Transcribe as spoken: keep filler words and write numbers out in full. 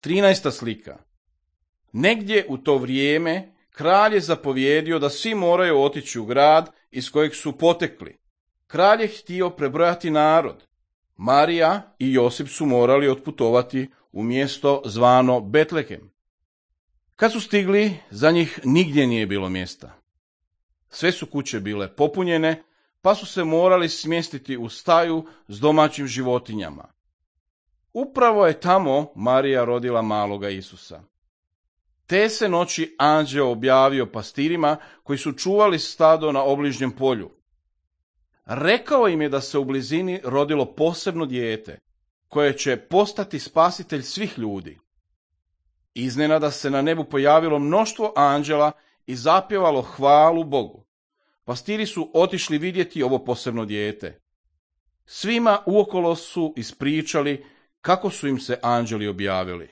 Trinaesta slika. Negdje u to vrijeme kralj je zapovjedio da svi moraju otići u grad iz kojeg su potekli. Kralj je htio prebrojati narod. Marija i Josip su morali otputovati u mjesto zvano Betlehem. Kad su stigli, za njih nigdje nije bilo mjesta. Sve su kuće bile popunjene, pa su se morali smjestiti u staju s domaćim životinjama. Upravo je tamo Marija rodila maloga Isusa. Te se noći anđeo objavio pastirima koji su čuvali stado na obližnjem polju. Rekao im je da se u blizini rodilo posebno dijete, koje će postati spasitelj svih ljudi. Iznenada se na nebu pojavilo mnoštvo anđela i zapjevalo hvalu Bogu. Pastiri su otišli vidjeti ovo posebno dijete. Svima uokolo su ispričali kako su im se anđeli objavili.